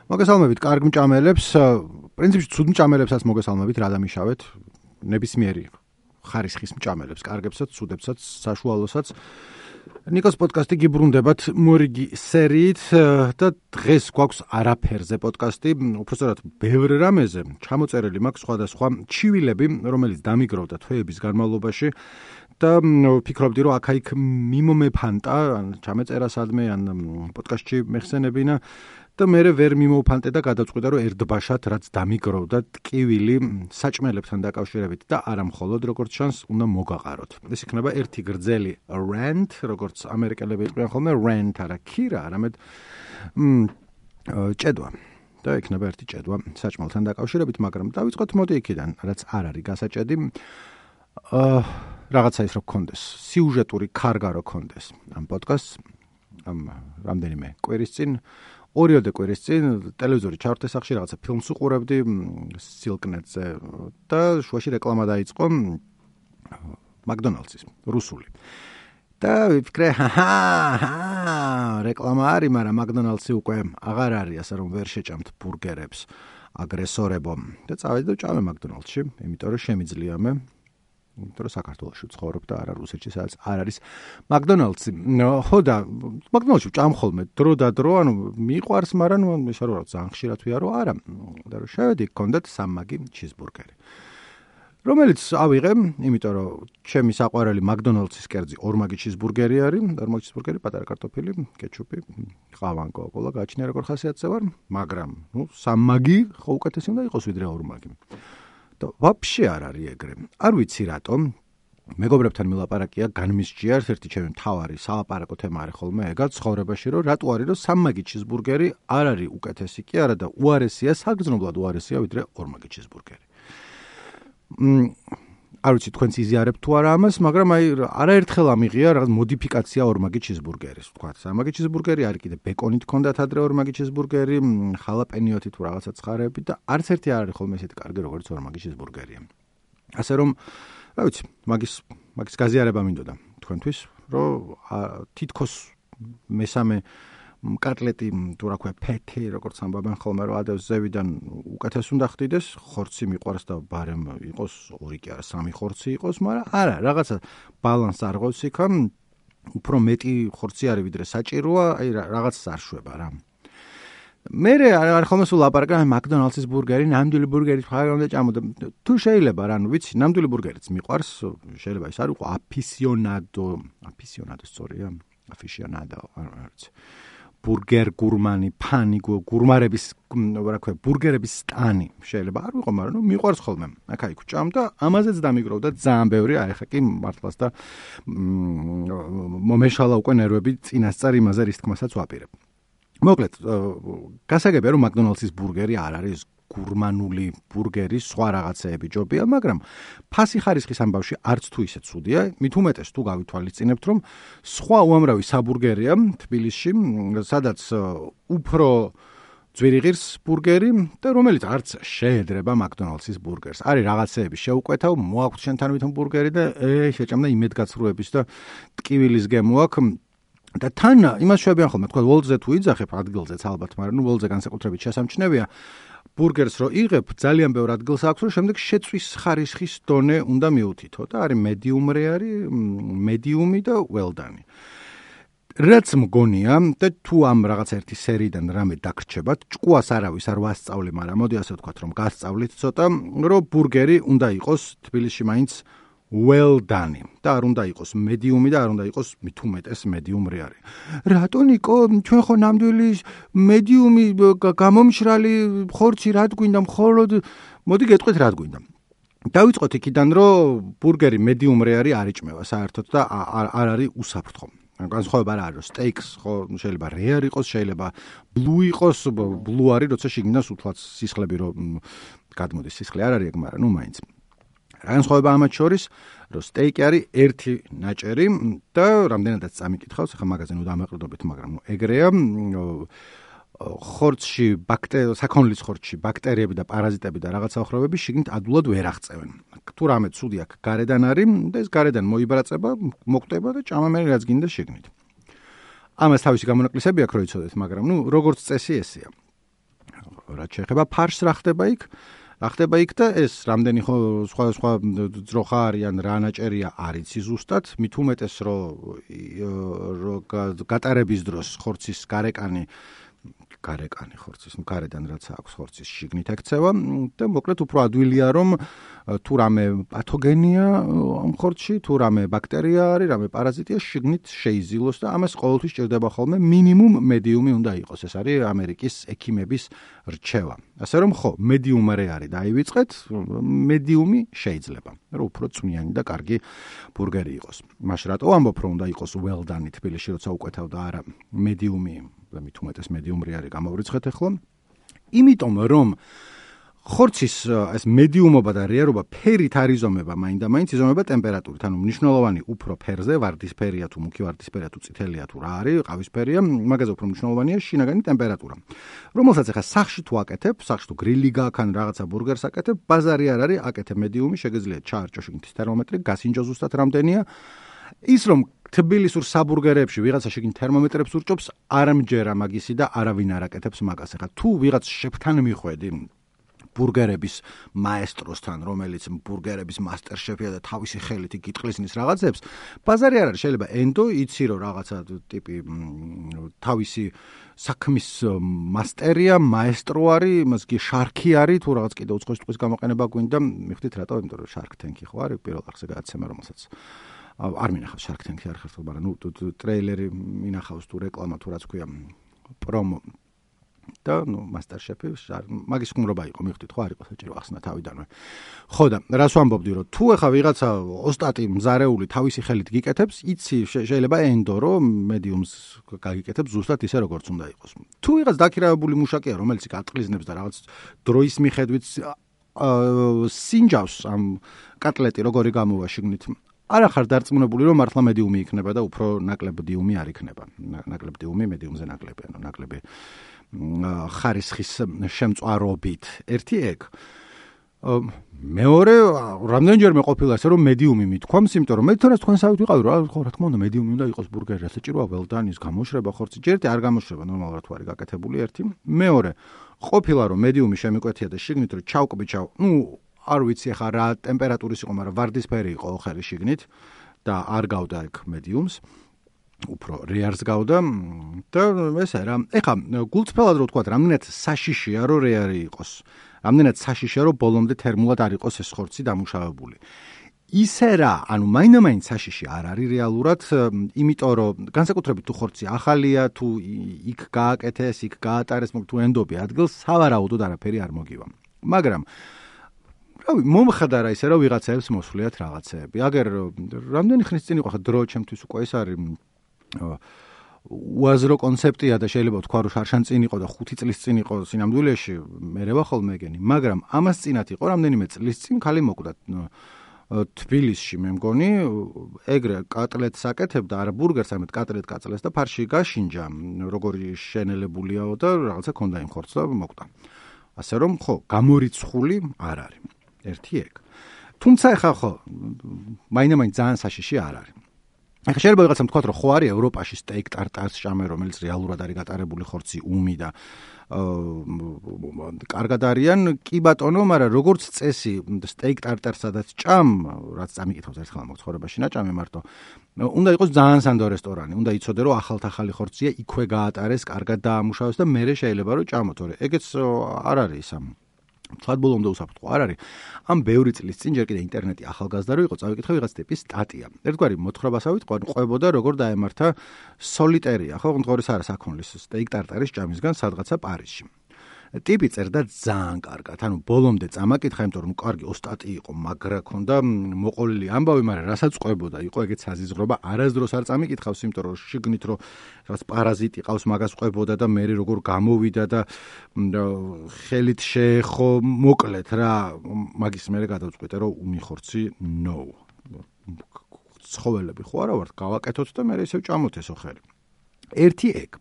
მოგესალმებით კარგ მჭამელებს, პრინციპში ცუდ მჭამელებსაც მოგესალმებით, რა დამიშავეთ, ნებისმიერი ხარისხის მჭამელებს, კარგებსაც, ცუდებსაც, საშუალოსაც. ნიკოს პოდკასტი გიბრუნდებათ მორიგი სერიით და დღეს გვაქვს არაფერზე პოდკასტი, უბრალოდ ბევრ რამეზე ჩამოწერილი მაქვს სხვადასხვა ჩივილები, რომელიც დამიგროვდა თვეების განმავლობაში და ვფიქრობდი, რომ აქ-იქ მიმომეფანტა, ან ჩამეწერა სადმე, ან პოდკასტში მეხსენებინა და მე ვერ მიმოვფანტე და გადავწყვიტე, რომ ერთბაშად რაც დამიგროვდა ტკივილი საჭმელებთან დაკავშირებით და არა მხოლოდ როგორც ჩანს, უნდა მოგაყაროთ. ეს იქნება ერთი გრძელი rant, როგორც ამერიკელები იყვნენ ხოლმე, rant არა ქირა, არამედ ჭედვა. და იქნება ერთი ჭედვა საჭმელთან დაკავშირებით, მაგრამ დავიწყოთ მოდი იქიდან, რაც არ არის გასაჭედი. რაღაცა ის რო გქონდეს, სიუჟეტური ქარგა რო გქონდეს ამ პოდკასტს, ამ რამდენიმე კვირის წინ, ორიოდე კვირის წინ ტელევიზორი ჩავარდე სახში, რაღაცა ფილმს უყურებდი სილკნეტზე და შუაში რეკლამა დაიწყო მაკდონალდსის, რუსული. და ვიფიქრე, რეკლამა არის, მაგრამ მაკდონალდსი უკვე აღარ არის, ასე რომ ვერ შეჭამთ ბურგერებს აგრესორებო. და წავედი და ვჭამე მაკდონალდსში, იმიტომ რომ შემიძლია მე იმიტომ რომ საქართველოში ვცხოვრობ და არა რუსეთში, სადაც არ არის მაკდონალდსი. ხო და მაკდონალდსში ვჭამ ხოლმე დრო და დრო, ანუ მიყვარს, მაგრამ ისე რომ ძალიან ხშირად ვიარო, არა. და რომ შევედი, გქონდათ სამმაგი ჩიზბურგერი. რომელიც ავიღე, იმიტომ რომ ჩემი საყვარელი მაკდონალდსის კერძი ორმაგი ჩიზბურგერი არის, ორმაგი ჩიზბურგერი, პატარა კარტოფილი, კეჩუპი, ყავან, კოკა-კოლა, გააჩნია როგორ ხასიათზე ვარ, მაგრამ სამმაგი ხო უკეთესი უნდა იყოს ვიდრე ორმაგი. და ვაფშე არ არის ეგრე. არ ვიცი რატომ. მეგობრებთან მილაპარაკია, განმისჯია ერთ-ერთი ჩემი მთავარი სალაპარაკო თემა არის ხოლმე ეგაც ცხოვრებაში, რომ რატო არის, რომ სამმაგი ჩიზბურგერი არ არის უკეთესი კი არა და უარესია, საგრძნობლად უარესია ვიდრე ორმაგი ჩიზბურგერი. არ ვიცი თქვენც იზიარებთ თუ არა ამას, მაგრამ არაერთხელ ამიღია რაღაც მოდიფიკაცია ორმაგი ჩიზბურგერის. თქვა, სამმაგი ჩიზბურგერი არის კიდე ბეკონით ჰქონდათ ადრე ორმაგი ჩიზბურგერი, ხალაპენიოთი თუ რაღაცა ცხარეები და არც ერთი არ არის ხოლმე ესეთი კარგი როგორც ორმაგი ჩიზბურგერია. ასე რომ, რა ვიცი, მაგის გაზიარება მინდოდა თქვენთვის, რომ თითქოს მესამე კატლეტი თუ რა ქვია ფეთი, როგორც ამბობენ ხოლმე, რომ ადევს ზევიდან უკეთეს უნდა ხდიდეს, ხორცი მიყვარს და ბარემ იყოს, ორი კი არა, სამი ხორცი იყოს, მაგრამ არა, რაღაცა ბალანს არღავს იქ, უფრო მეტი ხორცი არის ვიდრე საჭიროა, აი რაღაცას არ შვება რა. მე არ ხოლმე სულ ლაპარაკობ მაკდონალდსის ბურგერი, ნამდვილი ბურგერი ხარ უნდა ჭამოდე. თუ შეიძლება რა, ნუ ვიცი, ნამდვილი ბურგერიც მიყვარს, შეიძლება ის არ იყოს აფისიონადო სწორია, აფისიონადო, არ ვიცი. ბურგერ გურმანი, ფანი გურმარების, რა ქვია, ბურგერების სტანი შეიძლება არ ვიყო, მაგრამ მიყვარს ხოლმე. აქ-იქ ვჭამ და ამაზეც დამიგროვდა ძალიან ბევრი, აი ხა კი მართლაც და მომეშალა უკვე ნერვები წინასწარ იმაზე რის თქმასაც ვაპირებ. მოკლედ, გასაგებია რომ მაკდონალდსის ბურგერი არ არის გურმანული ბურგერი, სხვა რაღაცეები ჯობია, მაგრამ ფასი ხარისხის ამბავში არც თუ ისე ცუდია, მით უმეტეს თუ გავითვალისწინებთ, რომ სხვა უამრავი საბურგერია თბილისში, სადაც უფრო ძვირი ღირს ბურგერი და რომელიც არც შეედრება მაკდონალდსის ბურგერს. არის რაღაცეები შეუკვეთავ, მოაქვს შენთან ვითომ ბურგერი და შეჭამდა იმედგაცრუების და ტკივილის გემო აქვს. და თან იმას შევებიან ხოლმე, თქვა ვოლტზე თუ იძახებ ადგილზეც ალბათ, მაგრამ ვოლტზე განსაკუთრებით შესამჩნევია. ბურგერს რო იღებ, ძალიან ბევრ ადგილს აქვს, რომ შემდეგ შეწვის ხარისხის დონე უნდა მიუთითო და არის მედიუმი და well-done. რაც მგონია და თუ ამ რაღაც ერთი სერიიდან რამე დაგრჩებათ, ჭკუას არავის არ ვასწავლი, მაგრამ მოდი ასე ვთქვათ, რომ გასწავლით ცოტა, რომ ბურგერი უნდა იყოს თბილისში მაინც well-done და არ უნდა იყოს მედიუმი და არ უნდა იყოს მით უმეტეს მედიუმ რეარი. რატო ნიკო, ჩვენ ხო ნამდვილი მედიუმი გამომშრალი ხორცი რად გვინდა, მხოლოდ მოდი გეტყვით რად გვინდა. დავიწყოთ იქიდან, რომ ბურგერი მედიუმ რეარი არ იჭმევა საერთოდ და არ არის უსაფრთხო. განსხვავება რა არის, სტეიქს ხო შეიძლება რეარ იყოს, შეიძლება ბლუ იყოს, ბლუ არის, როცა შიგნიდან სულაც სისხლები რომ გადმოდის, სისხლი არ არის ეგ, მაგრამ ნუ მაინც. განსხვავება ამათ შორის, რომ სტეიკი არის ერთი ნაჭერი და რამდენადაც წამიკითხავს, ახლა მაგაზე ნუ დამაყრდობით, მაგრამ ნუ ეგრეა, ხორცში საქონლის ხორცში ბაქტერიები და პარაზიტები და რაღაცა ხროვები შიგნით ადულად ვერ აღწევენ. თუ რამე ცუდი აქ გარედან არის და ეს გარედან მოიბრაწება, მოკვდება და ჭამა მე რაც გინდა შიგნით. ამას თავისი გამონაკლისები აქვს, რო იცოდეთ, მაგრამ როგორც წესი ესეა. რაც შეეხება ფარშს რა ხდება იქ და ეს რამდენი სხვა ძროხა არიან რა ნაჭერია არ იცი ზუსტად მით უმეტეს რომ გატარების დროს ხორცის გარეკანი ხორცის გარედან რაც აქვს ხორცის შიგნით ექცევა და მოკლედ უფრო ადვილია რომ თუ რამე პათოგენია ამ ხორცში თუ რამე ბაქტერია არის რამე პარაზიტია შიგნით შეიზილოს და ამას ყოველთვის ჭირდება ხოლმე მინიმუმ მედიუმი უნდა იყოს ეს არის ამერიკის ექიმების რჩევა ასე რომ ხო მედიუმარე არის დაივიწყეთ მედიუმი შეიძლება რომ უფრო წვნიანი და კარგი ბურგერი იყოს მაშ რატო ამბობ რომ უნდა იყოს well done თბილისში როცა უკეთავ და არა მედიუმი და მით უმეტეს მედიუმრი არის გამოვრიცხეთ ახლა იმიტომ რომ ხორცის ეს მედიუმობა და რეარობა ფერით არ იზომება მაინდა-მაინც იზომება ტემპერატურით ანუ მნიშვნელოვანი უფრო ფერზე ვარდისფერია თუ მუქი ვარდისფერია თუ წითელია თუ რა არის ყავისფერია მაგაზე უფრო მნიშვნელოვანია შინაგანი ტემპერატურა რომელსაც ახლა სახში თუ აკეთებ სახში თუ გრილი გაქვს ან რაღაცა ბურგერს აკეთებ ბაზარი არ არის აკეთებ მედიუმი შეგიძლიათ ჩაარჭო შიგნით თერმომეტრი გასინჯო ზუსტად რამდენია ის რომ თბილისურ საბურგერებში ვიღაცა შეგინ თერმომეტრებს ურჭობს არ ამჯერა მაგისი და არავინ არ აკეთებს მაგას ახლა თუ ვიღაც შეფთან მიხვედი ბურგერების მაესტროსთან რომელიც ბურგერების მასტერშეფია და თავისი ხელით იგიტყლისნის რაღაცებს ბაზარი არ არის შეიძლება ენდო იცი რომ რაღაცა ტიპი თავისი საქმის მასტერია მაესტრო არის მასგი შარქი არის თუ რაღაც კიდე უცხოური ტყვის გამოყენება გვინდა მიხვდით რატო იმიტომ რომ Shark Tank-ი ხო არის პირველ რიგში გადაცემა რომელსაც არ მინახავს Shark Tank-ი არ ხერხდება მაგრამ ნუ ტრეილერი მინახავს თუ რეკლამა თუ რაც ქვია პრომო და ნუ მასტერშეფი მაგის ხუმრობა იყო მიხვდით ხო არ იყო საჭირო ახსნა თავიდანვე ხო და რას ვამბობდი რომ თუ ეხა ვიღაცა ოსტატი მზარეული თავისი ხელით გიკეთებს იცი შეიძლება ენდო რომ მედიუმს გაგიკეთებს ზუსტად ისე როგორც უნდა იყოს თუ ვიღაც დაქირავებული მუშაკია რომელიც გატყლიზნებს და რაღაც დროის მიხედვით სინჯავს ამ კატლეტი როგორი გამოვა შიგნით არ ახარ დარწმუნებული რომ მართლა მედიუმი იქნება და უფრო ნაკლებ დიუმი არ იქნება ნაკლებ დიუმი მედიუმზე ნაკლები ანუ ნაკლები ხარისხის შემწვარობით ერთი ეგ მეორე რამდენჯერმე ყოფილა ესე რომ მედიუმი მithქვამს იმიტომ რომ მე თორეს თქვენსავით ვიყავი რა ხო რა თქმა უნდა მედიუმი უნდა იყოს ბურგერი საჭიროა ველდანის გამოშრება ხორცი ჯერტი არ გამოშრება ნორმალურად თუ არის გაკეთებული ერთი მეორე ყოფილა რომ მედიუმი შემიკვეთია და შიგნით რომ ჩავკბიჩავ ნუ არ ვიცი ხა რა ტემპერატურის იყო მაგრამ ვარდისფერი იყო ხერი შიგნით და არ გავდა ეგ მედიუმს უფრო რეარს გავდა და ესე რა ეხა გულწრფელად რო თქვა რამდენად საშიშია რომ რეარი იყოს რამდენად საშიშია რომ ბოლომდე თერმულად არ იყოს ეს ხორცი დამუშავებული ისე რა ანუ მაინდა-მაინც საშიში არ არის რეალურად იმიტომ რომ განსაკუთრებით თუ ხორცი ახალია თუ იქ გააკეთეს იქ გაატარეს თუ ენდობი ადგილს სავარაუდოდ არაფერი არ მოგივა მაგრამ რავი მომხდარა ისე რომ ვიღაცებს მოსვლიათ რაღაცეები აგერ რამდენი ხნის წინ იყო ხა დრო ჩემთვის უკვე ეს არის უაზრო კონცეფტია და შეიძლება თქვა რომ შარშან წინ იყო და 5 წლის წინ იყო სინამდვილეში მე რა ხოლმე ეგენი მაგრამ ამას წინათ იყო რამდენიმე წლის წინ ხალი მოკვდა თბილისში მე მგონი ეგრე კატლეტს აკეთებდა არა ბურგერს არამედ კატლეტ კაწლეს და ფარში გაშინჯა როგორი შენელებულიაო და რაღაცა ქონდა იმ ხორცს და მოკვდა ასე რომ ხო გამორიცხული არ არის ერთი ეგ თუმცა ეხა ხო მაინდა-მაინც ძალიან საშიში არ არის ახლა შეიძლება ვიღაცამ თქვა რომ ხო არის ევროპაში სტეიკ ტარტარს ჭამე რომელიც რეალურად არის გატარებული ხორცი უმი და კარგად არიან კი ბატონო მაგრამ როგორც წესი სტეიკ ტარტარს სადაც ჭამ რაც წამიკითხავს ერთხელ მოგცხოვრებაში ნაჭამი მარტო უნდა იყოს ძალიან სანდო რესტორანი უნდა იცოდე რომ ახალ-ახალი ხორცია იქვე გაატარეს კარგად დაამუშავეს და მერე შეიძლება რომ ჭამო თორე ეგეც არ არის ამ თვად ბოლომდე უსაფრთხო არ არის ამ ბევრი წლის წინ ჯერ კიდე ინტერნეტი ახალგაზრდა რო იყო წავიკითხე ვიღაც ტიპის სტატია ერთგვარი მოთხრობასავით ყვებოდა როგორ დაემართა სოლიტერია ხო ღონღორის არა საქონლის სტეიკ ტარტარის ჭამისგან სადღაცა პარიზში ტიპი წერდა ძალიან კარგად ანუ ბოლომდე წამაკითხა იმიტომ რომ კარგი ოსტატი იყო მაგრა ქონდა მოყოლილი ამბავი მაგრამ რასაც ყვებოდა იყო ეგეც საზიზღრობა არასდროს არ წამიკითხავს იმიტომ რომ შიგნით რომ რაღაც პარაზიტი ყავს მაგას ყვებოდა და მე როგორ გამოვიდა და ხელით შეეხო მოკლედ რა მაგის მერე გადავწყვიტე რომ უმიხორცი no ცხოველები ხო არა ვართ გავაკეთოთ და მე ისევ ჭამოთ ესო ხელი ერთი ეგ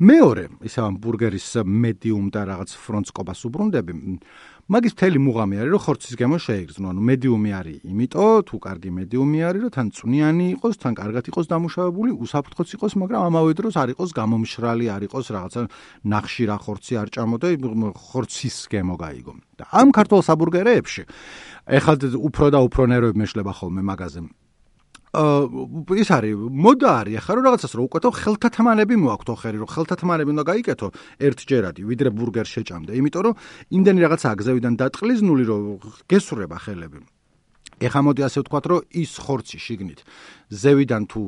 მეორე, ისე ამ ბურგერის medium და რაღაც ფრონტსკობას უბრუნდები, მაგის მთელი მუღამი არის, რომ ხორცის გემო შეიგრძნო. ანუ medium-ი არის, იმიტომ თუ კარგი medium-ი არის, რომ თან წვნიანი იყოს, თან კარგად იყოს დამუშავებული, უსაფრთხოც იყოს, მაგრამ ამავე დროს არ იყოს გამომშრალი, არ იყოს რაღაცა ნახშირა ხორცი არ ჭამო და ხორცის გემო გაიგო. და ამ ქართულ საბურგერეებში ეხლა უფრო და უფრო ნერვები მეშლება ხოლმე მაგაზე. ის არის მოდა არის ახლა რომ რაღაცას რო უკეთო ხელთათმანები მოაქვთ ხერი რომ ხელთათმანები უნდა გაიკეთო ერთჯერადი ვიდრე ბურგერს შეჭამდე იმიტომ რომ იმდენი რაღაცაა გზევიდან დატყლიზნული რომ გესურება ხელები ეხლა მოდი ასე ვთქვათ რომ ის ხორცი შიგნით ზევიდან თუ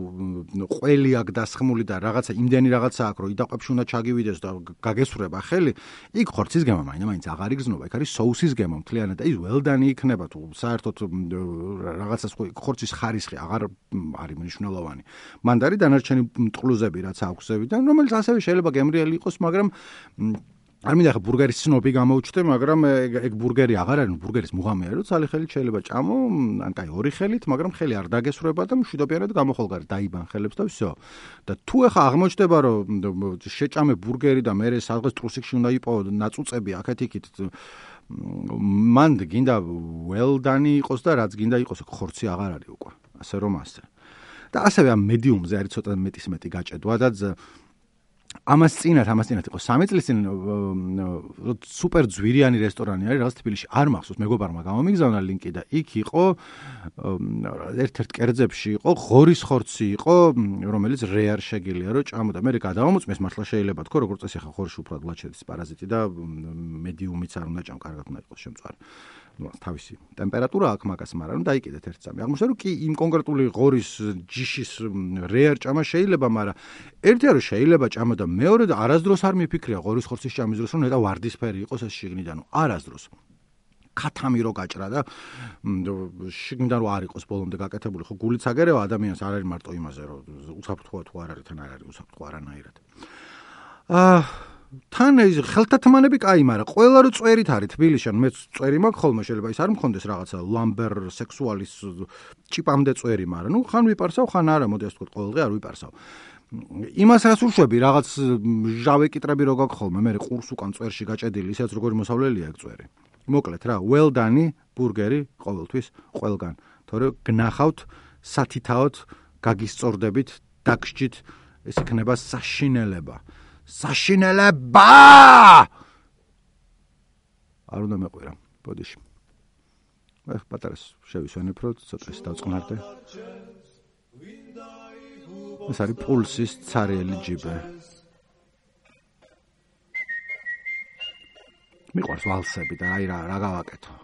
ყველი აქ დასხმული და რაღაცა იმდენი რაღაცა აქვს რომ იდაყვებში უნდა ჩაგივიდეს და გაგესურება ხელი იქ ხორცის გემო მაინც აღარ იგზნობა იქ არის соуსის გემო მთლიანად და ის ველდანი იქნება თუ საერთოდ რაღაცას ხორცის ხარისხი აღარ არის მნიშვნელოვანი მანდ არის დანარჩენი მტყლუზები რაც აქვს ზევიდან რომელიც ასევე შეიძლება გემრიელი იყოს მაგრამ არ მინდა ხა ბურგერის სნობი გამოვჩდე, მაგრამ ეგ ბურგერი აღარ არის, ბურგერის მუღამი არის, რომ ცალი ხელით შეიძლება ჭამო, ან კაი ორი ხელით, მაგრამ ხელი არ დაგესრუება და მშვიდობიანად გამოხოლგარი დაიბან ხელებს და всё. და თუ ეხა აღმოჩნდება, რომ შეჭამე ბურგერი და მე სადღაც ტრუსიკში უნდა იპოვო ნაწუწები აქეთ-იქით, მან გინდა ველდანი იყოს და რაც გინდა იყოს, ხორცი აღარ არის უკვე. ასე რომ ასე. და ასევე ამ მედიუმზე არის ცოტა მეტი გაჭედვა და ამას წინათ იყო 3 წლის წინ სუპერ ძვირიანი რესტორანი არის რაღაც თბილისში არ მახსოვს მეგობარმა გამომიგზავნა ლინკი და იქ იყო ერთ-ერთ კერძებში იყო ღორის ხორცი იყო რომელიც რეარ შეგილია რომ ჭამო და მე გადავამოწმეს მართლა შეიძლება თქო როგორც წესი ხა ხორში უფრო ადლად შედის პარაზიტი და მედიუმიც არ უნდა ჭამ კარგად უნდა იყოს შემწვარი თავისი ტემპერატურა აქვს მაგას მაგრამ დაიკიდეთ ერთ წამი აღმოჩნდა რომ კი იმ კონკრეტული ღორის ჯიშის რეარ ჭამა შეიძლება მაგრამ ერთია რომ შეიძლება ჭამა და მეორე და არასდროს არ მიფიქრია ღორის ხორცის ჭამის დროს რომ ნეტა ვარდისფერი იყოს ეს შიგნიდან არასდროს ქათამი რო გაჭრა და შიგნიდან რო არ იყოს ბოლომდე გაკეთებული ხო გულიც აგერევა ადამიანს არ არის მარტო იმაზე რომ უსაფრთხოა თუ არ არის თან არ არის უსაფრთხო არანაირად თან ეს ხელთათმანები კაი, მაგრამ ყველა რო წვერით არის თბილისში, ან მეც წვერი მაქვს ხოლმე შეიძლება ის არ მქონდეს რაღაცა ლამბერ სექსუალის ჭიპამდე წვერი, მაგრამ ნუ ხან ვიპარსავ, ხან არა, მოდი ასე ვთქვათ, ყოველდღე არ ვიპარსავ. იმას რას უშვები, რაღაც ჟავე კიტრები რო გაქვს ხოლმე, მე ყურს უკან წვერში გაჭედილი, ისეც როგორი მოსავლელია ეგ წვერი. მოკლედ რა, ველდანი, ბურგერი ყოველთვის ყველგან. თორე გნახავთ, სათითაოდ, გაგისწორდებით, დაგსჯით, ეს იქნება საშინელება. საშინელება! არ უნდა მეყვირა, ბოდიში. ეხ, პატარას შევისვენებ, რომ ცოტა ის დავწყნარდე. ეს არის პულსის ცარიელი ჯიბე. მიყვარს ვალსები და აი რა გავაკეთო.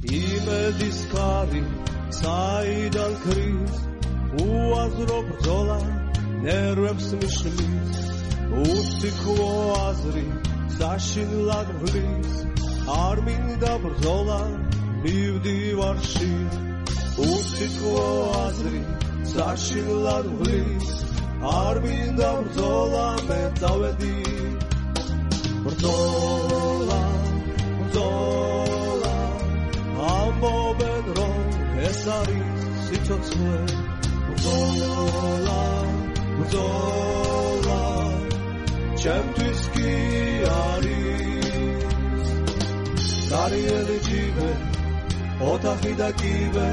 იმედის ქარი, საიდან ქრის უაზრო ბრძოლა ნერვებს მიშლის უსიქო აზრი საშინლად ვლის არ მინდა ბრძოლა მივდივარში უსიქო აზრი საშინლად ვლის არ მინდა ბრძოლა მე დავედი ბრძოლა ამბობენ რომ ეს არის სიცოცხლე ბრძოლა ჩემთვის კი არის დარიელი ჯიბე ოთახი და კიბე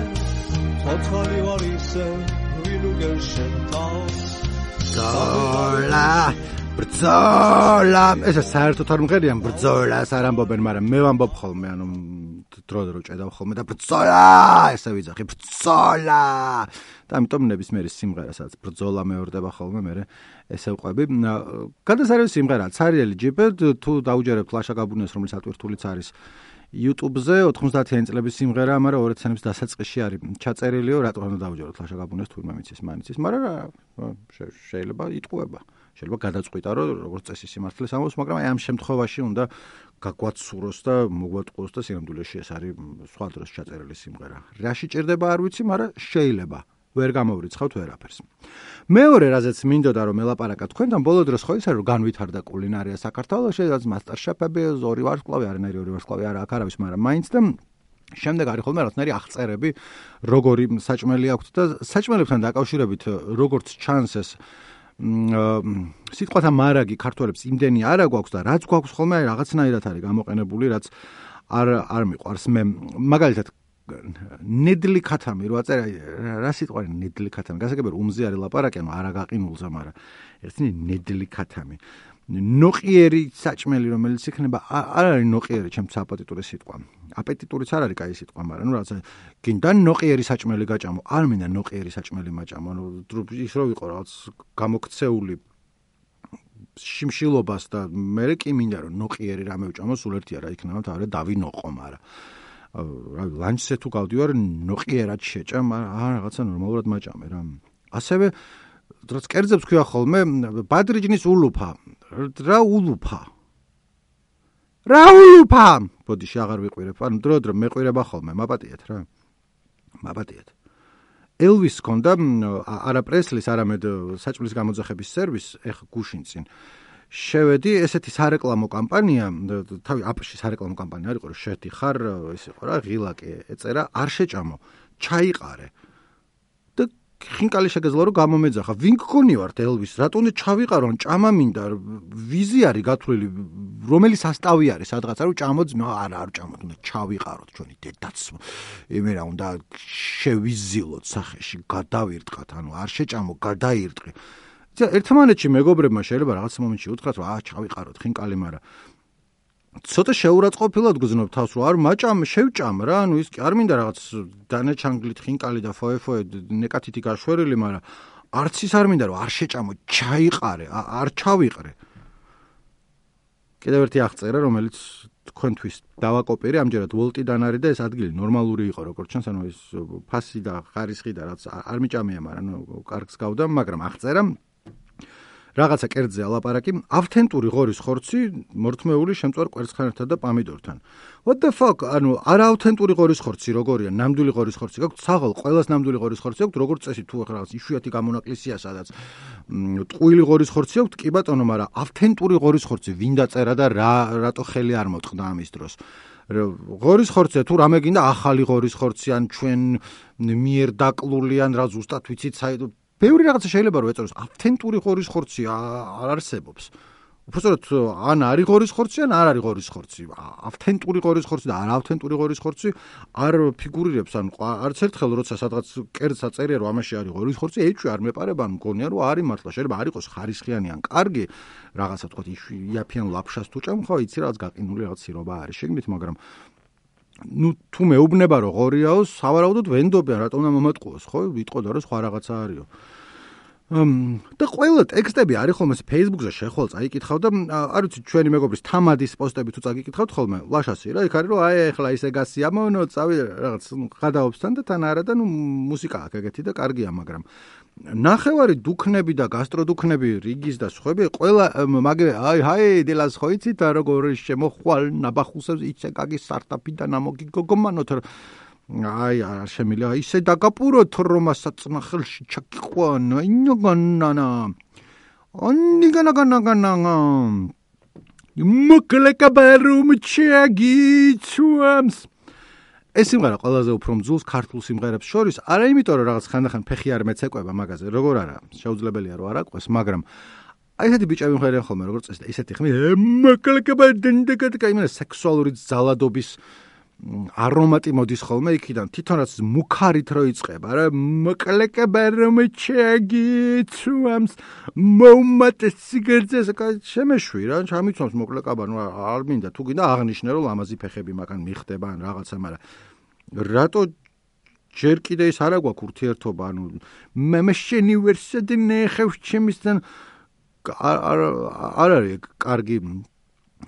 ცოცხალი ვარ ისე ვინ უგერშენ თავს ბრძოლა ეს საერთოდ არ მღერიან ბრძოლას არ ამბობენ მაგრამ მე ვამბობ ხოლმე ანუ დრო ჭედავ ხოლმე და ბრძოლა ესე ვიძახი ბრძოლა და ამიტომ ნებისმიერი სიმღერა სადაც ბრძოლა მეორდება ხოლმე მე ესე ვყვები გადასარევი სიმღერა ცარიელი ჯიბე თუ დაუჯერებთ ლაშა გაბუნეს რომელიც ატვირთულიც არის YouTube-ზე 90-იანი წლების სიმღერა, მაგრამ 2 წლების დასაწყისში არის ჩაწერილიო, რატომ უნდა დავუჯეროთ ლაშა გაბუნეს თურმე მიცის მანიცის, მაგრამ შეიძლება იტყუება. შეიძლება გადაწყვიტა, რომ როგორც წესი სიმართლეს ამბობს, მაგრამ აი ამ შემთხვევაში უნდა გაგვაცუროს და მოგვატყუოს და სინამდვილეში ეს არის სხვა დროს ჩაწერილი სიმღერა. რაში ჭირდება არ ვიცი, მაგრამ შეიძლება. ვერ გამოვრიცხავთ ვერაფერს. მეორე რაზეც მინდოდა რომ ელაპარაკა თქვენთან ბოლო დროს ხო ისე რომ განვითარდა კულინარია საქართველოში, რაც მასტერშეფები, ორი ვარსკვლავი, არანაირი ორი ვარსკვლავი არა აქ არავის, მაგრამ მაინც და შემდეგ არის ხოლმე რაღაცნაირი აღწერები, როგორი საჭმელი აქვთ და საჭმელებთან დაკავშირებით როგორც ჩანს ეს სიტყვათა მარაგი ქართველებს იმდენი არა გვაქვს და რაც გვაქვს ხოლმე რაღაცნაირად არის გამოყენებული, რაც არ მიყვარს. მე მაგალითად ნედლი ქათამი რო აწერა, რა სიტყვა ნედლი ქათამი? გასაგებია უმზე არის ლაპარაკი, ანუ არა გაყინულზე, მაგრამ ერთი ნედლი ქათამი. ნოყიერი საჭმელი, რომელიც იქნება, არ არის ნოყიერი, ჩემთვის აპეტიტური სიტყვა. აპეტიტურიც არ არის კაი სიტყვა, მაგრამ ნუ რაღაცა გინდა ნოყიერი საჭმელი გაჭამო, არ მინდა ნოყიერი საჭმელი მაჭამო, ანუ ის რო ვიყო რაღაც გამოქცეული შიმშილობას და მე კი მინდა რომ ნოყიერი რამე ვჭამო, სულ ერთი არა იქნება, თავი დავინოყო, მაგრამ ლანჩზე თუ გავდივარ, ნოყიერად შეჭამ, რაღაცა ნორმალურად მაჭამე რა. ასევე რაც კერძებს ქვია ხოლმე, ბადრიჯნის ულუფა. რა ულუფა? რა ულუფა? ბოდიში აღარ ვიყვირებ. ანუ დრო მეყვირება ხოლმე, მაპატიეთ რა. მაპატიეთ. ელვის ქონდა არა პრესლის, არამედ საჭმლის გამოძახების სერვის, ეხ გუშინ წინ. შევედი, ესეთი სარეკლამო კამპანია, თავი აპში სარეკლამო კამპანია არ იყო, რომ შედიხარ, ეს იყო რა, ღილაკი ეწერა, არ შეჭამო, ჩაიყარე. და ხინკალი შეგეძლო რომ გამომეძახა. ვინ გქონი ვართ ელვის? რატომ ჩავიყარო? ჭამა მინდა, ვიზი არის გათვლილი, რომელი სასტავი არის სადღაცა რომ ჭამოთ, არა არ ჭამოთ, უნდა ჩავიყაროთ ჩვენი დედაც. იმერა უნდა შევიზილოთ სახეში, გადავირტყათ, ანუ არ შეჭამო, გადაირტყი. ერთმანეთში მეგობრებმა შეიძლება რაღაც მომენტში უთხრათ, რომ ჩავიყაროთ ხინკალი, მაგრამ ცოტა შეურაცხყოფილად გრძნობ თავს, რომ არ მაჭამ, შევჭამ რა, ანუ ის კი არ მინდა რაღაც დანაჩანგლით ხინკალი და ფოე ნეკათითი გაშვერილი, მაგრამ არც ის არ მინდა რომ არ შეჭამო, ჩაიყარე, არ ჩავიყრე. კიდევ ერთი აღწერა, რომელიც თქვენთვის დავაკოპირე, ამჯერად ვოლტიდან არის და ეს ადგილი ნორმალური იყო, როგორც ჩანს, ანუ ეს ფასი და ხარისხი და რაც არ მიჭამია, მაგრამ კარგს გავდა, მაგრამ აღწერა რაღაცა კერძზე ალაპარაკი, ავთენტური ღორის ხორცი, მორთმეული შემწვარ კვერცხანებთან და პამიდორთან. What the fuck? ანუ არაავთენტური ღორის ხორცი როგორია? ნამდვილი ღორის ხორცი გაქვთ? საღოლ ყველას ნამდვილი ღორის ხორცი აქვს, როგორც წესი თუ რაღაც იშვიათი გამონაკლისია, სადაც ტყუილი ღორის ხორცი აქვს, კი ბატონო, მაგრამ ავთენტური ღორის ხორცი ვინ დაწერა და რატო ხელი არ მოწყდა ამის დროს? ღორის ხორცია თუ რამე გინდა ახალი ღორის ხორცი ან ჩვენ მიერ დაკლული ან რა ზუსტად ვიცით საერთოდ ბევრი რაღაცა შეიძლება რომ ეწოს ავთენტური ღორის ხორცი არ არსებობს. უბრალოდ ან არის ღორის ხორცი ან არ არის ღორის ხორცი. ავთენტური ღორის ხორცი და არაავთენტური ღორის ხორცი არ ფიგურირებს, ან არც ერთხელ როცა სადღაც კერძს აწერია რომ ამაში არის ღორის ხორცი, ეჭვი არ მეპარება, მგონია რომ არის მართლა, შეიძლება არ იყოს ხარისხიანი ან კარგი რაღაცა თქვა იაფიან ლაფშას თუ ჭამ, ხო იცი რაღაც გაყინული რაღაც სირობა არის შეგნით, მაგრამ ნუ თუ მეუბნება რომ ღორიაო, სავარაუდოდ ვენდობიან, რატომ უნდა მომატყუოს, ხო? ვიტყოდა რომ სხვა რაღაცა არისო. და ყველა ტექსტები არის ხოლმე Facebook-ზე შეხვალ წაიკითხავ და არ ვიცი ჩვენი მეგობრის თამადის პოსტები თუ წაგიკითხავთ ხოლმე ლაშასი რა იქ არის რომ აი ეხლა ისე გასიამოვნო წავი რაღაც გადაობსთან და თან არა და ნუ მუსიკა აქვს ეგეთი და კარგია მაგრამ ნახევარი დუქნები და გასტროდუქნები რიგის და სხვები ყველა მაგე აი დილას ხო იცით როგორ შემოხვალ ნაბახუსებს იცე გაგი სტარტაპი და ნამოგი გოგომანოთ აი არ შემიძლია ისე დაგაპუროთ რომ ასაწნა ხელში ჩაკიყვანა ინოგანანა ონიგანაგანაგანა მოკლეკაბარუმ ჩაგიცვამს ეს სიმღერა ყველაზე უფრო მძულს ქართულ სიმღერებს შორის არა იმიტომ რომ რაღაც ხანდახან ფეხი არ მეცეკვება მაგაზე როგორ არა შეუძლებელია რომ არ აყვეს მაგრამ აი ესეთი ბიჭები მღერიან ხოლმე როგორც წესი ესეთი ხმი მოკლეკაბარდენდეკატკა იმენა სექსუალური ძალადობის არომატი მოდის ხოლმე იქიდან თვითონ რაც მუქარით რო იწყება რა მოკლეკებერომ ჩაგიცვამს მომატეს სიგრძეს შემეშვი რა ჩამიცვამს მოკლეკაბარ ნუ არ მინდა თუ გინდა აღნიშნე რომ ლამაზი ფეხები მაგან მიხდება ან რაღაცა მაგრამ რატო ჯერ კიდე ის არა გვაქვს ურთიერთობა ანუ მე შენი ვერსადი ნეხევს ჩემისთან არ არის კარგი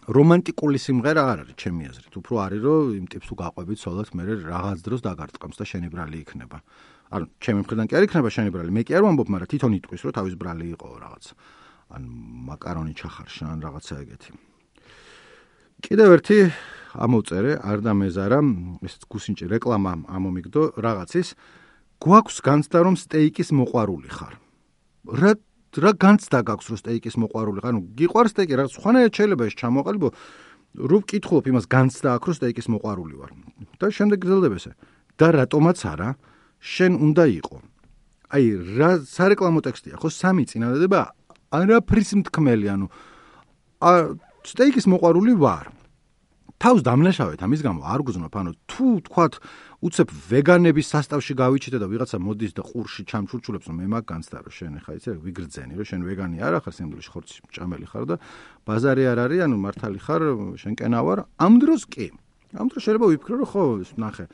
რომანტიკული სიმღერა არ არის ჩემი აზრით. უფრო არის რომ იმ ტიპს თუ გაყვებით სოლად მე რაღაც დროს დაგარტყამს და შენი ბრალი იქნება. ანუ ჩემი მხრიდან კი არ იქნება შენი ბრალი. მე კი არ ვამბობ, მაგრამ თვითონ იტყვის რომ თავის ბრალი იყო რაღაც. ან მაკარონი ჩახარშა ან რაღაცა ეგეთი. კიდევ ერთი ამოვწერე არ დამეზარა ეს გუსინჭი რეკლამა ამომიგდო რაღაცის გვაქვს განცდა რომ სტეიკის მოყვარული ხარ. რა განცდა გაქვს რომ სტეიკის მოყვარული ხარ? ანუ გიყვარს სტეიკი, რაღაც სხვანაირად შეიძლება ეს ჩამოყალიბო. რო ვკითხულობ იმას განცდა აქვს რომ სტეიკის მოყვარული ვარ და შემდეგ გრძელდება ესე და რატომაც არა შენ უნდა იყო აი რა სარეკლამო ტექსტია ხო სამი წინადადება არაფრის მთქმელი ანუ სტეიკის მოყვარული ვარ თავს დამნაშავეთ ამის გამო არ გძნობ ანუ თუ თქვათ უცებ ვეგანების სასტავში გავიჩიტე და ვიღაცა მოდის და ყურში ჩამჩურჩულებს რომ მე მაგ განცდა რომ შენ ხა იცი ვიგრძენი რომ შენ ვეგანი არ ხარ სინამდვილეში ხორცი ჭამელი ხარ და ბაზარი არ არის ანუ მართალი ხარ შენ კენა ვარ ამ დროს კი ამ დროს შეიძლება ვიფიქრო რომ ხო ნახე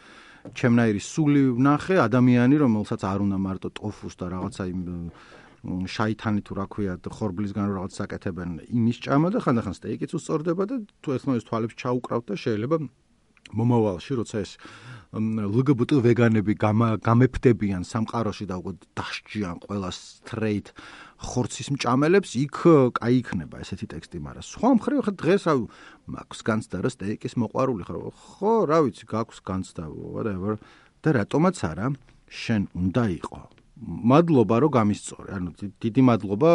ჩემნაირი სული ვნახე ადამიანი რომელსაც არ უნდა მარტო ტოფუს და რაღაცა იმ შაითანი თუ რა ქვია ხორბლისგან რაღაც საკეთებენ იმის ჭამა და ხანდახან სტეიკიც უსწორდება და თუ ერთმანეთს თვალებს ჩაუკრავთ და შეიძლება მომავალში როცა ეს LGBT ვეგანები გამეფდებიან სამყაროში და უკვე დასჯიან ყველა straight ხორცის მჭამელებს იქ კაი იქნება ესეთი ტექსტი მაგრამ სხვა მხრივ ხა დღეს რა მაქვს განცდა რა სტეიკის მოყვარული ხარ ხო რა ვიცი გაქვს განცდა whatever და რატომაც არა შენ უნდა იყო მადლობა რომ გამისწორე ანუ დიდი მადლობა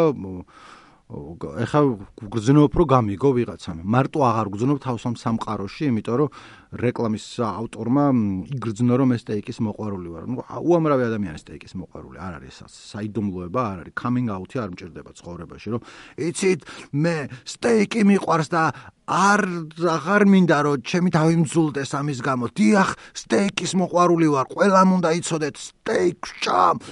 ეხა გგრძნობ რომ გამიგო ვიღაცამ მარტო აღარ გგრძნობ თავს ამ სამყაროში იმიტომ რომ რეკლამის ავტორმა იგრძნო რომ ეს სტეიკის მოყვარული ვარ ნუ უამრავი ადამიანი სტეიკის მოყვარული არ არის საიდუმლოება არ არის coming out-ი არ მჭირდება ცხოვრებაში რომ იცით მე სტეიკი მიყვარს და აღარ მინდა რომ ჩემი თავი მძულდეს ამის გამო დიახ სტეიკის მოყვარული ვარ ყველამ უნდა იცოდეთ სტეიკს ჭამ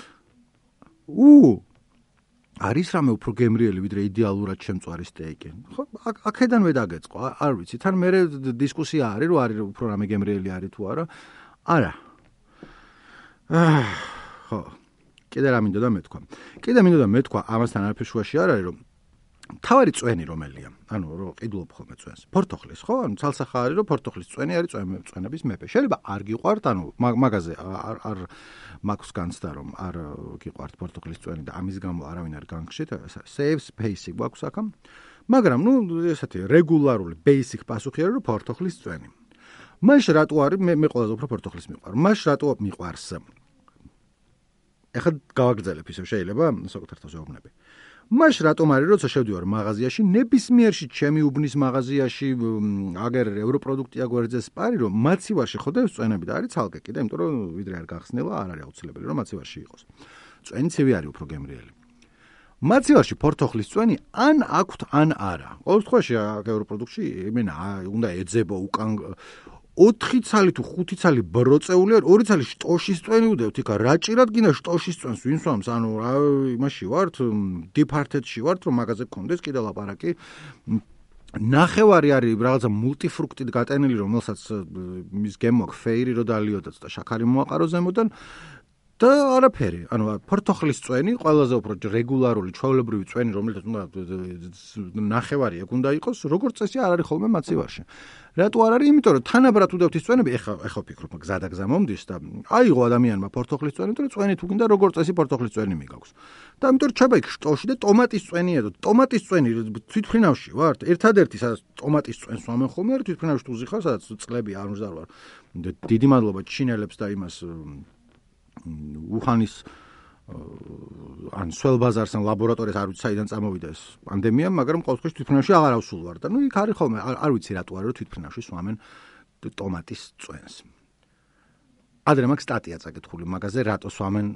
არის რამე უფრო გემრიელი ვიდრე იდეალურად შემწვარი სტეიკი. ხო, აქედანვე დაგეწყო, არ ვიცი, თან მე დისკუსია არის, რომ არის უფრო რამე გემრიელი არის თუ არა. არა. ხო. კიდე რა მინდოდა მეთქვა. ამასთან არაფერ შუაში არ არის, რომ თავარი წვენი რომელია. ანუ რომ ყიდულობ ხოლმე წვენს. პორტოხლის, ხო? ანუ ცალსახა არის, რომ პორტოხლის წვენი არის წვენების მეფე. შეიძლება არ გიყვართ, ანუ მაგაზე არ მაქვს განცდა რომ არ გიყვართ პორტოხლის წვენი და ამის გამო არავინ არ განგშით, save space-ი გვაქვს აქ. მაგრამ ნუ ესეთი რეგულარული basic პასუხი არის, რომ პორტოხლის წვენი. მაშ რატო არის მე ყველაზე უფრო პორტოხლის მიყვარ. მაშ რატო მიყვარს? ეხლა გავაგრძელებ ისევ შეიძლება საკუთარ თავს ვეუბნები. მაშ რატომ არის როცა შევდივარ მაღაზიაში ნებისმიერში ჩემი უბნის მაღაზიაში აგერ ევროპროდუქტია გვერდზე სპარი რომ მაცივარში ხოდებს წვენები და არის ცალკე კიდე იმიტომ რომ ვიდრე არ გახსნილა არ არის აუცილებელი რომ მაცივარში იყოს წვენი ცივი არის უფრო გემრიელი მაცივარში პორტოხლის წვენი ან აქვთ ან არა ყოველ შემთხვევაში ევროპროდუქტში იმენა უნდა ეძებო უკან 4 ცალი თუ 5 ცალი ბროწეული არ 2 ცალი შტოშის წვენი უდევთ იქა რა ჭირად გინდა შტოშის წვენს ვინ სვამს ანუ რა იმაში ვართ დიპარტედში ვართ რომ მაგაზე გქონდეს კიდე ლაპარაკი ნახევარი არის რაღაცა მულტიფრუქტით გატენილი რომელსაც მის გემო ფეირი რო დალიოდაც და შაქარი მოაყარო ზემოდან და არაფერი ანუ პორტოხლის წვენი ყველაზე უფრო რეგულარული ჩვეულებრივი წვენი რომელიც უნდა ნახევარი ეგ უნდა იყოს როგორც წესი არ არის ხოლმე მაცივარში რატო არ არის იმიტომ რომ თანაბრად უდევთ ის წვენები ეხა ვფიქრობ გზადაგზა მომდის და აიღო ადამიანმა პორტოხლის წვენი და წვენი თუ გინდა როგორც წესი პორტოხლის წვენი მიგაქვს და ამიტომ რჩება იქ შტოში და ტომატის წვენია და ტომატის წვენი თვითფრინავში ვართ ერთადერთი სადაც ტომატის წვენს ვამენ ხოლმე არ თვითფრინავში თუზი ხარ სადაც წლები არ მზარვარ დიდი მადლობა ჩინელებს და იმას უხანის ან სველ ბაზარს ან ლაბორატორიას არ ვიცი საიდან წამოვიდა ეს პანდემია, მაგრამ ყოველ შემთხვევაში თვითფრინავში აღარ ავსულ ვარ და ნუ იქ არის ხოლმე არ ვიცი რატო არის რომ თვითფრინავში სვამენ ტომატის წვენს. ადრე მაქვს სტატია წაკითხული მაგაზე რატო სვამენ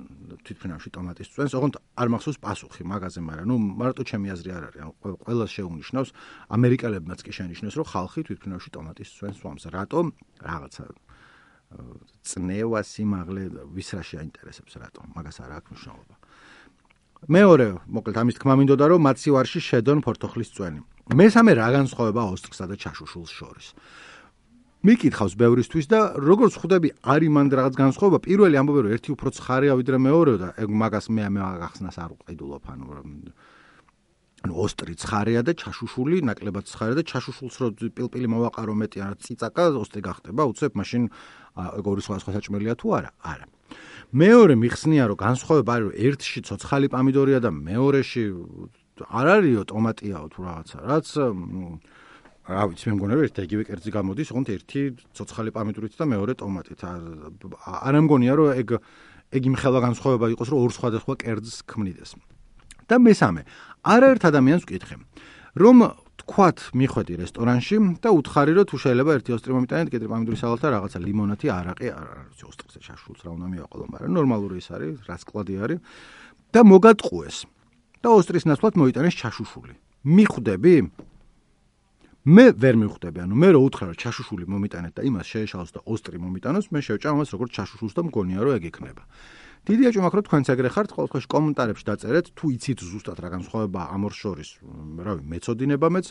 თვითფრინავში ტომატის წვენს, ოღონდ არ მახსოვს პასუხი მაგაზე, მაგრამ ნუ მარტო ჩემი აზრი არ არის, ანუ ყველას შეუნიშნავს, ამერიკელებმაც კი შენიშნეს, რომ ხალხი თვითფრინავში ტომატის წვენს სვამს. რატო? რაღაცა წნევა სიმაღლე ვის რა შეაინტერესებს რატომ მაგას არ აქვს მნიშვნელობა მეორე მოკლედ ამის თქმა მინდოდა რომ მაცივარში შედონ პორტოხლის წვენი მესამე რა განსხვავება ოსტრსა და ჩაშუშულს შორის მიკითხავს ბევრისთვის და როგორც ხვდები არის მანდ რაღაც განსხვავება პირველი ამბობენ რომ ერთი უფრო ცხარია ვიდრე მეორე და მაგას მე აღხსნას არ უყიდულობ ანუ ოსტრი ცხარია და ჩაშუშული ნაკლებად ცხარია და ჩაშუშულს რო პილპილი მოვაყარო მეტი ან ციცაკა ოსტრი გახდება უცებ მაშინ ორი სხვა საჭმელია თუ არა არა მეორე მიხსნია რომ განსხვავება არის რომ ერთში ცოცხალი პამიდორია და მეორეში არ არისო ტომატიაო თუ რაღაცა რაც რა ვიცი მე მგონია ერთ იგივე კერძი გამოდის ოღონდ ერთი ცოცხალი პამიდორით და მეორე ტომატით არ მგონია რომ ეგ იმხელა განსხვავება იყოს რომ ორ სხვადასხვა კერძს ქმნიდეს და მესამე არაერთ ადამიანს ვკითხე რომ თქვათ მიხვედი რესტორანში და უთხარი რომ თუ შეიძლება ერთი ოსტრი მომიტანეთ, კეთრი პამიდური სალატი და რაღაცა ლიმონათი, არაყი, ოსტრიზე შაშულს რა უნდა მივაყოლო, მაგრამ ნორმალური ის არის, რასკლადი არის და მოგატყუეს. და ოსტრის ნაცვლად მოიტანეს ჩაშუშული. მიხვდები? მე ვერ მიხვდები, ანუ მე რო უთხრა რომ ჩაშუშული მომიტანეთ და იმას შეეშალოს და ოსტრი მომიტანოს, მე შევჭამ ამას როგორც ჩაშუშულს და მგონია რომ ეგ იქნება. დიდი აჭი მაქვს რომ თქვენც ეგრე ხართ, ყოველთვის კომენტარებში დაწერეთ, თუ იცით ზუსტად რა განსხვავება ამ ორ შორის, რავი, მეწოდინება მეც,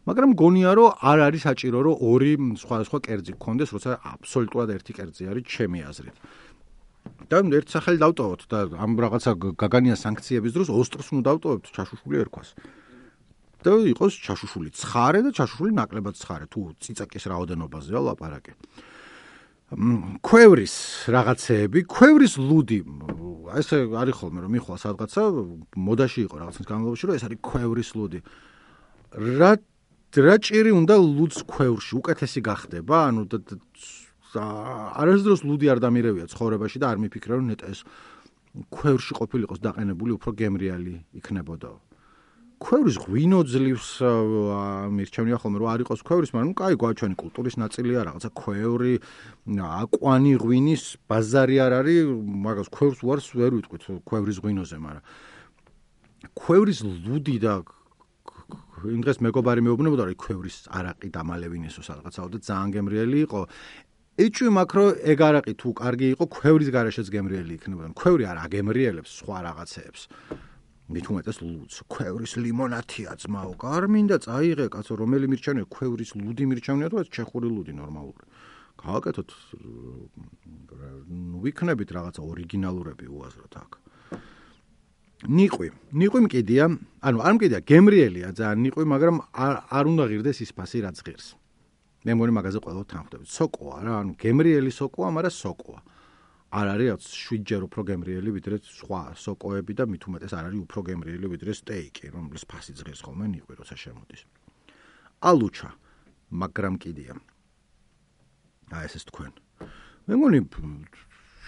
მაგრამ მგონია რომ არ არის საჭირო რომ ორი სხვადასხვა კერძი გქონდეს, როცა აბსოლუტურად ერთი კერძი არის ჩემი აზრით. და ერთ სახელი დავტოვოთ და ამ რაღაცა გაგანია სანქციების დროს ოსტრს უნდა დავტოვებთ ჩაშუშული ერქვას. და იყოს ჩაშუშული ცხარე და ჩაშუშული ნაკლებად ცხარე, თუ ციცაკის რაოდენობაზეა ლაპარაკი. ქვევრის რაღაცეები, ქვევრის ლუდი, ესე არის ხოლმე რომ მიხვალ სადღაცა, მოდაში იყო რაღაცის განმავლობაში, რომ ეს არის ქვევრის ლუდი. რა ჭირი უნდა ლუდს ქვევრში, უკეთესი გახდება, ანუ არასდროს ლუდი არ დამირევია ცხოვრებაში და არ მიფიქრე რომ ნეტა ეს ქვევრში ყოფილიყოს დაყენებული უფრო გემრიალი იქნებოდა. ქვევრის ღვინო ძლივს მირჩევნია ხოლმე რომ არ იყოს ქვევრის, მაგრამ კაი გვაჩვენი კულტურის ნაწილია რაღაცა ქვევრი, აკვანი ღვინის ბაზარი არ არის, მაგას ქვევრს უარს ვერ ვიტყვით ქვევრის ღვინოზე, მაგრამ ქვევრის ლუდი და იმ დღეს მეგობარი მეუბნებოდა რომ ქვევრის არაყი დამალევინესო სადღაცაო და ძალიან გემრიელი იყო. ეჭვი მაქვს რომ ეგ არაყი თუ კარგი იყო, ქვევრის გარეშეც გემრიელი იქნებოდა. ქვევრი არ აგემრიელებს სხვა რაღაცეებს. მით უმეტეს ლუდს, ქვევრის ლიმონათია ძმაო, გარმინდა წაიღე კაცო, რომელი მირჩევნია, ქვევრის ლუდი მირჩევნია თუ ეს ჩეხური ლუდი ნორმალური. გავაკეთოთ, ვიქნებით რაღაცა ორიგინალურები უაზროთ აქ. ნიყვი მკიდია, ანუ არ მკიდია, გემრიელია ძალიან ნიყვი, მაგრამ არ უნდა ღირდეს ის ფასი რაც ღირს. მე მგონი მაგაზე ყველა თანხმდებით. სოკოა რა, ანუ გემრიელი სოკოა, მაგრამ სოკოა. არ არის 7-ჯერ უფრო გემრიელი ვიდრე სხვა სოკოები და მით უმეტეს არ არის უფრო გემრიელი ვიდრე სტეიკი, რომლის ფასი ღირს ხოლმე ნიყვი როცა შემოდის. ალუჩა, მაგრამ კიდია. ეს თქვენ. მე მგონი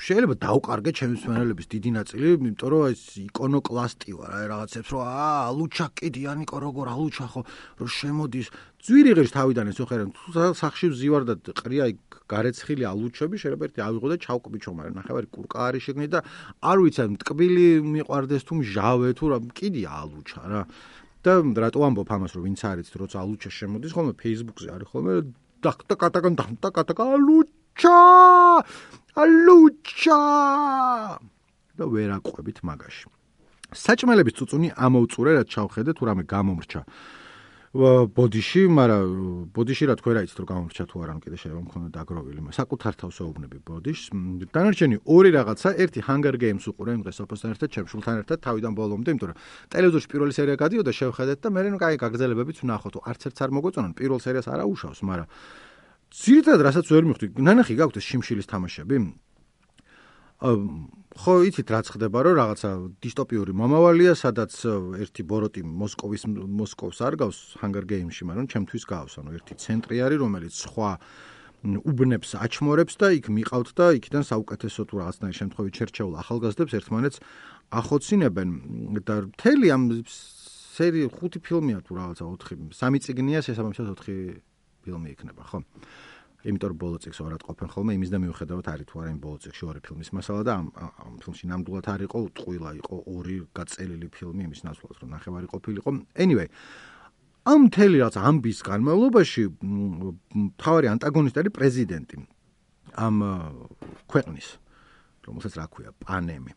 შეიძლება დავყარგე ჩემი მსმენელების დიდი ნაწილი, იმიტომ რომ ეს იკონოკლასტი ვარ, აი რაღაცებს რომ ალუჩა კიდია ნიკო როგორ ალუჩა ხო რომ შემოდის ძვირი ღირს თავიდან ეს ხერენ თუ სახში ვზივარ და ყრია გარეცხილი ალუჩები შეიძლება ერთი ავიღო და ჩავკბიჩო, მაგრამ ნახევარი კურკა არის შეგნი და არ ვიცი მტკბილი მიყვარდეს თუ მჟავე თუ რა კიდია ალუჩა რა. და რატო ამბობ ამას რომ ვინც არიცით როცა ალუჩა შემოდის ხოლმე Facebook-ზე არის ხოლმე და ალუჩა და ვერ აყვებით მაგაში. საჭმელების წუწუნი ამოუწურე რაც ჩავხედე თუ რამე გამომრჩა ბოდიში, მაგრამ ბოდიში რა თქვენ რა იცით რომ გამომრჩა თუ არა, კიდე შეიძლება მქონდა დაგროვილი, საკუთარ თავს ეუბნები ბოდიშს. დანარჩენი ორი რაღაცა, ერთი Hunger Games უყურე იმ დღეს სოფოსთან ერთად, ჩემშულთან ერთად თავიდან ბოლომდე, იმიტომ რომ ტელევიზორში პირველი სერია გადიოდა, შევხედეთ და მე კაი გაგრძელებებიც ვნახოთ, არც ერთს არ მოგეწონან, პირველ სერიას არ აუშავს, მაგრამ ძირითადად რასაც ვერ მივხვდი, ნანახი გაქვთ ეს შიმშილის თამაშები? ხო იცით რაც ხდება რომ რაღაცა დისტოპიური მომავალია, სადაც ერთი ბოროტი მოსკოვს არ გავს Hunger Games-ში, მაგრამ ჩემთვის გავს, ანუ ერთი ცენტრი არის, რომელიც სხვა უბნებს აჩმორებს და იქ მიყავთ და იქიდან საუკეთესო თუ რაღაცნაირ შემთხვევით შერჩეულ ახალგაზრდებს ერთმანეთს ახოცინებენ და მთელი ამ სერია 5 ფილმია თუ რაღაცა 4, 3 წიგნია, შესაბამისად 4 ფილმი იქნება, ხო? იმიტომ რომ ბოლო წიგნს ორად ყოფენ ხოლმე, იმის და მიუხედავად არის თუ არა იმ ბოლო წიგნში 2 ფილმის მასალა და ამ ფილმში ნამდვილად არ იყო, ტყუილა იყო 2 გაწელილი ფილმი იმის ნაცვლად, რომ ნახევარი ყოფილიყო. Anyway, ამ მთელი რაც ამბის განმავლობაში მთავარი ანტაგონისტი არის პრეზიდენტი ამ ქვეყნის, რომელსაც რა ქვია, პანემი.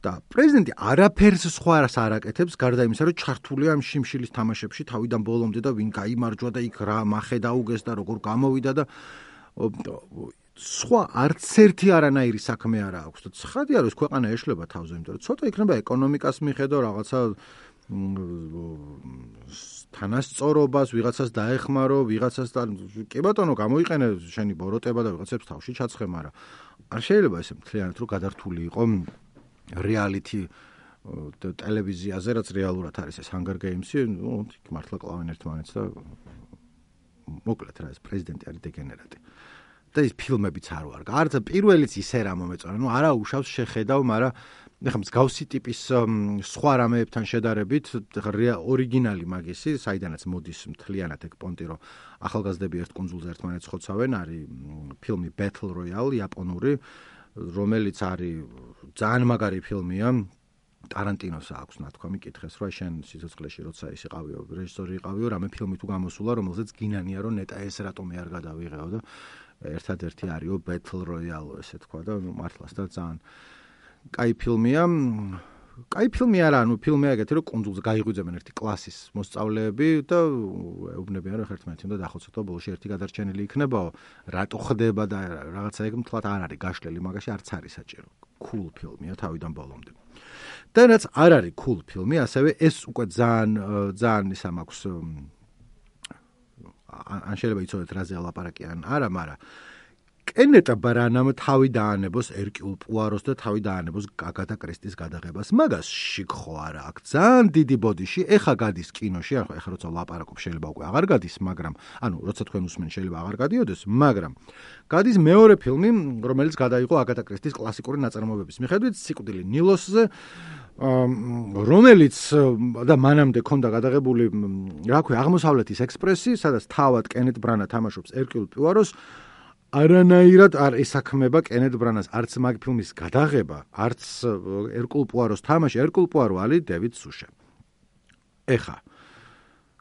და პრეზიდენტი არაფერს სხვას არ აკეთებს, გარდა იმისა, რომ ჩართულია ამ შიმშილის თამაშებში თავიდან ბოლომდე და ვინ გაიმარჯვა და იქ რა მახე დაუგეს და როგორ გამოვიდა და სხვა არც ერთი არანაირი საქმე არ აქვს. და ცხადია, რომ ეს ქვეყანა ეშლება თავზე, იმიტომ რომ ცოტა იქნება ეკონომიკას მიხედო რაღაცა თანასწორობას, ვიღაცას დაეხმარო, ვიღაცას კი ბატონო გამოიყენე შენი ბოროტება და ვიღაცებს თავში ჩაცხე, მაგრამ არ შეიძლება ესე მთლიანად რომ გადართული იყო რეალიტი ტელევიზიაზე, რაც რეალურად არის ეს Hunger Games-ი, მართლა კლავენ ერთმანეთს და მოკლედ რა, ეს პრეზიდენტი არის დეგენერატი. და ის ფილმებიც არ ვარ. არც პირველიც ისე რა მომეწონა, არა უშავს შეხედავ, მაგრამ ეხლა მსგავსი ტიპის სხვა რამეებთან შედარებით ორიგინალი მაგისი, საიდანაც მოდის მთლიანად ეგ პონტი, რომ ახალგაზრდები ერთ კუნძულზე ერთმანეთს ხოცავენ, არის ფილმი Battle Royale იაპონური, რომელიც არის ძალიან მაგარი ფილმია. ტარანტინოს აქვს ნათქვამი კითხეს, რომ შენ სიცოცხლეში როცა ის იყავიო, რეჟისორი იყავიო, რამე ფილმი თუ გამოსულა, რომელზეც გინანია, რომ ნეტა ეს რატომი არ გადავიღეო და ერთადერთი არისო Battle Royale, ესე თქვა და მართლაც და ძალიან კაი ფილმია. კაი ფილმი არა, ფილმია ეგეთი, რომ კუნძულზე გაიღვიძებენ ერთი კლასის მოსწავლეები და ეუბნებიან, რომ ერთმანეთი უნდა დახოცოთ და ბოლოში ერთი გადარჩენილი იქნებაო. რატო ხდება და რაღაცა ეგ მთლად არ არის გაშლილი, მაგაში არც არის საჭირო. Cool ფილმია თავიდან ბოლომდე. და რაც არ არის cool ფილმი, ასევე ეს უკვე ძალიან ისა მაქვს ან შეიძლება იცოდეთ რაზე ლაპარაკი ან არა, მაგრამ კენეტ ბრანამ თავი დაანებოს ერკიულ პუაროს და თავი დაანებოს აგათა კრისტის გადაღებას. მაგასში ხო არა აქვს ძალიან დიდი ბოდიში. ეხა გადის კინოში, ეხა როცა ლაპარაკობ შეიძლება უკვე აღარ გადის, მაგრამ ანუ როცა თქვენ უსმენ შეიძლება აღარ გადიოდეს, მაგრამ გადის მეორე ფილმი, რომელიც გადაიღო აგათა კრისტის კლასიკური ნაწარმოებების მიხედვით, სიკვდილი ნილოსზე, რომელიც და მანამდე ქონდა გადაღებული, რა ქვია, აღმოსავლეთის ექსპრესი, სადაც თავად კენეტ ბრანა თამაშობს ერკიულ პუაროს. არანაირად არ ესაქმება კენეტ ბრანას არც მაგ ფილმის გადაღება, არც ერკულ პუაროს თამაში. ერკულ პუარო არის დევიდ სუშა. ეხა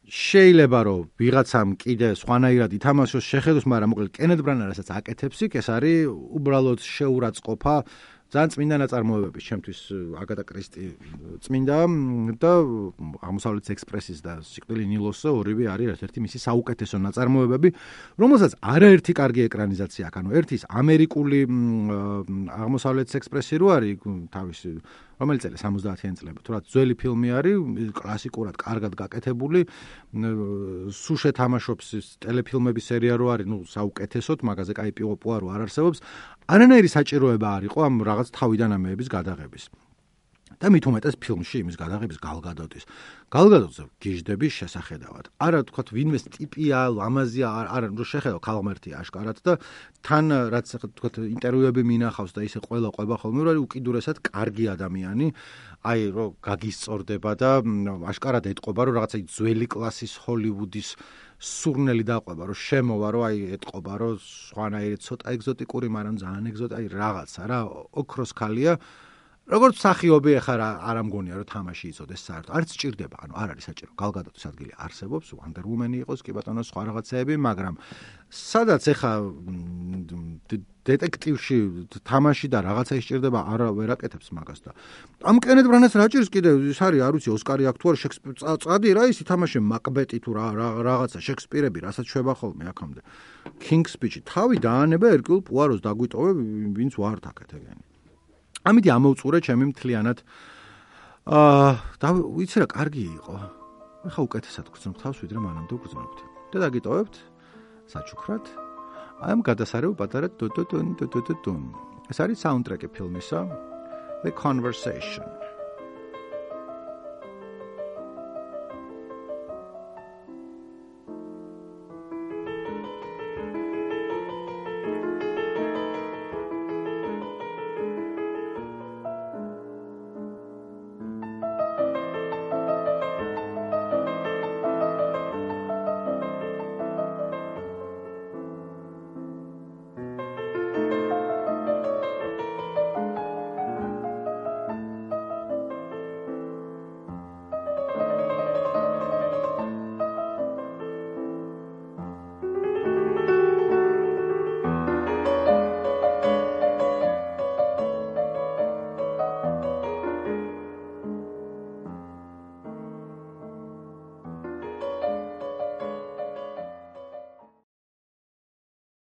შეიძლება რომ ვიღაცამ კიდე სხვანაირად ითამაშოს შეხედოს, მაგრამ მოკლედ კენეტ ბრანა რასაც აკეთებს იქ, ეს არის უბრალოდ შეურაცხყოფა. ძალიან წმინდა ნაწარმოებები, ჩემთვის აგათა კრისტი წმინდა და აღმოსავლეთის ექსპრესის და სიკვდილი ნილოსზე ორივე არის ერთ-ერთი მისი საუკეთესო ნაწარმოებები, რომელსაც არაერთი კარგი ეკრანიზაცია აქვს. ანუ ერთის ამერიკული აღმოსავლეთის ექსპრესი რო არის თავისი, რომელიც წელი 70-იან წლებში, თუმცა ძველი ფილმი არის, კლასიკურად კარგად გაკეთებული, სუშე თამაშობს ტელეფილმების სერია რო არის, საუკეთესოდ, მაგაზე კაი პუარო არ არსებობს. არანაირი საჭიროება არ იყო ამ რაღაც თავიდან ამეების გადაღების. და მით უმეტეს ფილმში იმის გადაღების გალგადოტის. გალგადოტზე გიჟდები შესახედავად. არა თქვათ ვინმეს ტიპია, ლამაზია, არა რომ შეხედო ქალღმერთია აშკარად და თან რაც თქვათ ინტერვიუები მინახავს და ისე ყველა ყვება ხოლმე, რომ უკიდურესად კარგი ადამიანი, აი რომ გაგისწორდება და აშკარად ეტყობა, რომ რაღაცა ძველი კლასის ჰოლივუდის სურნელი დაყვება, რომ შემოვა, რომ აი ეტყობა, რომ სხვანაირი ცოტა ეგზოტიკური, მაგრამ ძალიან ეგზოტი, აი რაღაცა რა, ოქროს ქალია. როგორც მსახიობი ახლა არ ამგონია, რომ თამაში იცოდეს საერთოდ. არც სჭირდება, ანუ არ არის საჭირო. გალგადოტის ადგილი არსებობს, Wonder Woman იყოს, კი ბატონო, სხვა რაღაცეები, მაგრამ სადაც ახლა დეტექტივში თამაში და რაღაცა ისჭირდება, ვერ აკეთებს მაგას და ამ კენეტ ბრანას რა ჭირს კიდე, ის არის, არ ვიცი, ოსკარი აქვს თუ არა, წადი რა ის ითამაშე მაკბეტი თუ რაღაცა შექსპირები, რასაც შვება ხოლმე აქამდე. King's Speech-ი თავი დაანება ერკიულ პუაროს დაგვიტოვე, ვინც ვართ აქეთ ეგენი. ამიტომ ამოვწურე ჩემი მთლიანად. და ვიცი რა, კარგი იყო. ეხა უკეთესად გრძნობ თავს, ვიდრე მანამდე გრძნობდი. და დაგიტოვებთ საჩუქრად. აი ამ გადასარევ პატარა დუდუდუნ. ეს არის საუნდტრეკი ფილმისა The Conversation.